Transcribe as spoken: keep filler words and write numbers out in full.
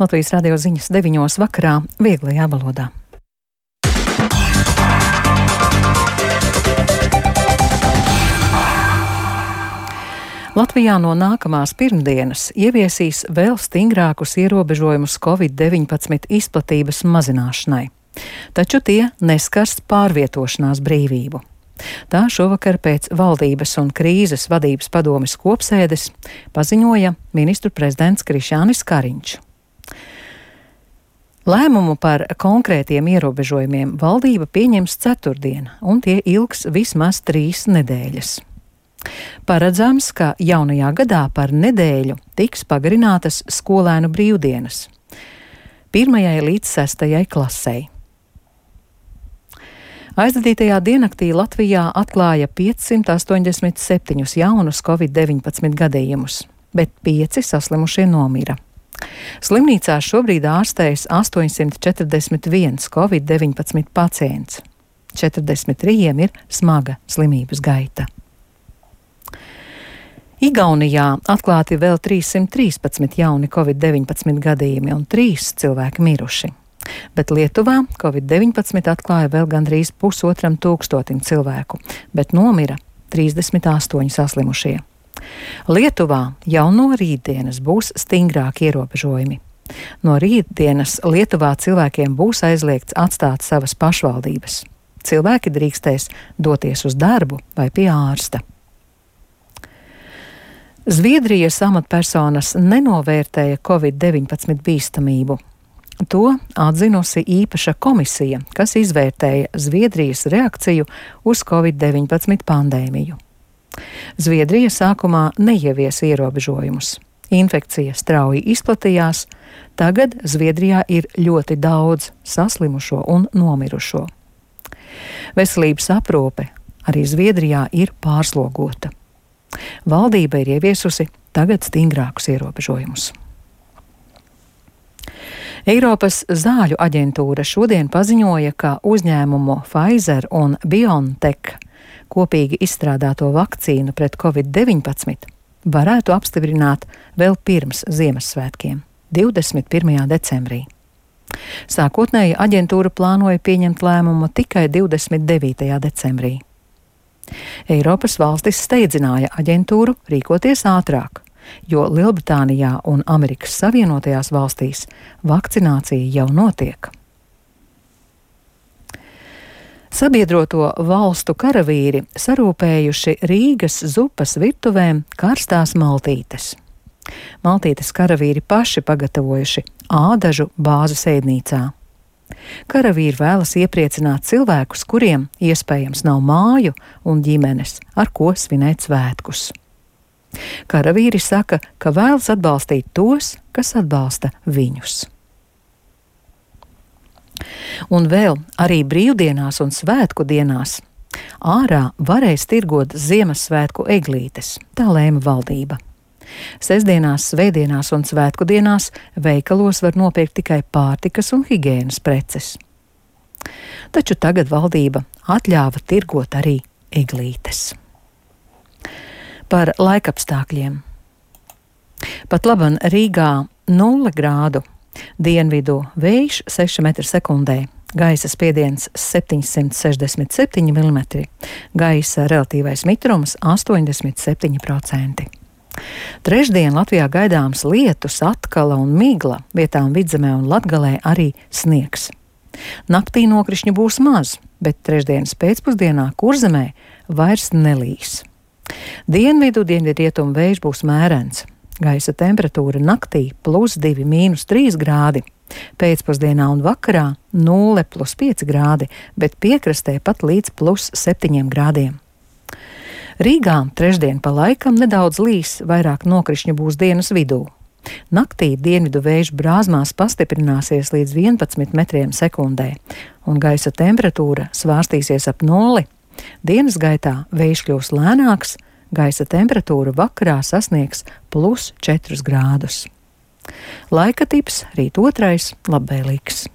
Latvijas radio ziņas deviņos vakarā vieglajā valodā. Latvijā no nākamās pirmdienas ieviesīs vēl stingrākus ierobežojumus covid deviņpadsmit izplatības mazināšanai, taču tie neskars pārvietošanās brīvību. Tā šovakar pēc valdības un krīzes vadības padomes kopsēdes paziņoja ministru prezidents Krišjānis Kariņš. Lēmumu par konkrētiem ierobežojumiem valdība pieņems ceturtdien, un tie ilgs vismaz trīs nedēļas. Paredzams, ka jaunajā gadā par nedēļu tiks pagarinātas skolēnu brīvdienas pirmajai līdz sestajai klasei. Aizdadītajā diennaktī Latvijā atklāja piecsimt astoņdesmit septiņus jaunus covid deviņpadsmit gadījumus, bet pieci saslimušie nomira. Slimnīcās šobrīd ārstējas astoņsimt četrdesmit viens covid deviņpadsmit pacients. četrdesmit trīs ir smaga slimības gaita. Igaunijā atklāti vēl trīssimt trīspadsmit jauni covid deviņpadsmit gadījumi un trīs cilvēki miruši. Bet Lietuvā covid deviņpadsmit atklāja vēl gandrīz pusotram tūkstotim cilvēku, bet nomira trīsdesmit astoņi saslimušie. Lietuvā jau no rītdienas būs stingrāki ierobežojumi. No rītdienas Lietuvā cilvēkiem būs aizliegts atstāt savas pašvaldības. Cilvēki drīkstēs doties uz darbu vai pie ārsta. Zviedrijas amatpersonas nenovērtēja covid deviņpadsmit bīstamību. To atzinusi īpaša komisija, kas izvērtēja Zviedrijas reakciju uz covid deviņpadsmit pandēmiju. Zviedrija sākumā neievies ierobežojumus. Infekcija strauji izplatījās, tagad Zviedrijā ir ļoti daudz saslimušo un nomirušo. Veselības aprūpe arī Zviedrijā ir pārslogota. Valdība ir ieviesusi tagad stingrākus ierobežojumus. Eiropas zāļu aģentūra šodien paziņoja, ka uzņēmumu Pfizer un BioNTech kopīgi izstrādāto vakcīnu pret covid deviņpadsmit varētu apstiprināt vēl pirms Ziemassvētkiem, divdesmit pirmajā decembrī. Sākotnēji aģentūra plānoja pieņemt lēmumu tikai divdesmit devītajā decembrī. Eiropas valstis steidzināja aģentūru rīkoties ātrāk, jo Lielbritānijā un Amerikas Savienotajās valstīs vakcinācija jau notiek. Sabiedroto valstu karavīri sarūpējuši Rīgas zupas virtuvēm karstās maltītes. Maltītes karavīri paši pagatavojuši ādažu bāzes ēdnīcā. Karavīri vēlas iepriecināt cilvēkus, kuriem iespējams nav māju un ģimenes, ar ko svinēt svētkus. Karavīri saka, ka vēlas atbalstīt tos, kas atbalsta viņus. Un vēl arī brīvdienās un svētku dienās ārā varēs tirgot Ziemassvētku eglītes, tā lēma valdība. Sestdienās, svētdienās un svētku dienās veikalos var nopirkt tikai pārtikas un higienas preces. Taču tagad valdība atļāva tirgot arī eglītes. Par laikapstākļiem. Pat laban Rīgā nulle grādu, dienvidu vējš seši metri sekundē, gaisa spiediens septiņsimt sešdesmit septiņi milimetri, gaisa relatīvais mitrums astoņdesmit septiņi procenti. Trešdien Latvijā gaidāms lietus, atkala un migla, vietām Vidzemē un Latgalē arī sniegs. Naktī nokrišņu būs maz, bet trešdienas pēcpusdienā Kurzemē vairs nelīs. Dienvidu dienvidrietumu vējš būs mērens. Gaisa temperatūra naktī plus divi mīnus trīs grādi, pēcpusdienā un vakarā nulle plus pieci grādi, bet piekrastē pat līdz plus septiņiem grādiem. Rīgā trešdien pa laikam nedaudz līs, vairāk nokrišņu būs dienas vidū. Naktī dienvidu vējš brāzmās pastiprināsies līdz vienpadsmit metriem sekundē, un gaisa temperatūra svārstīsies ap nulli. Dienas gaitā vējš kļūs lēnāks, gaisa temperatūra vakarā sasniegs plus četrus grādus. Laika tips rīt otrais labvēlīgs.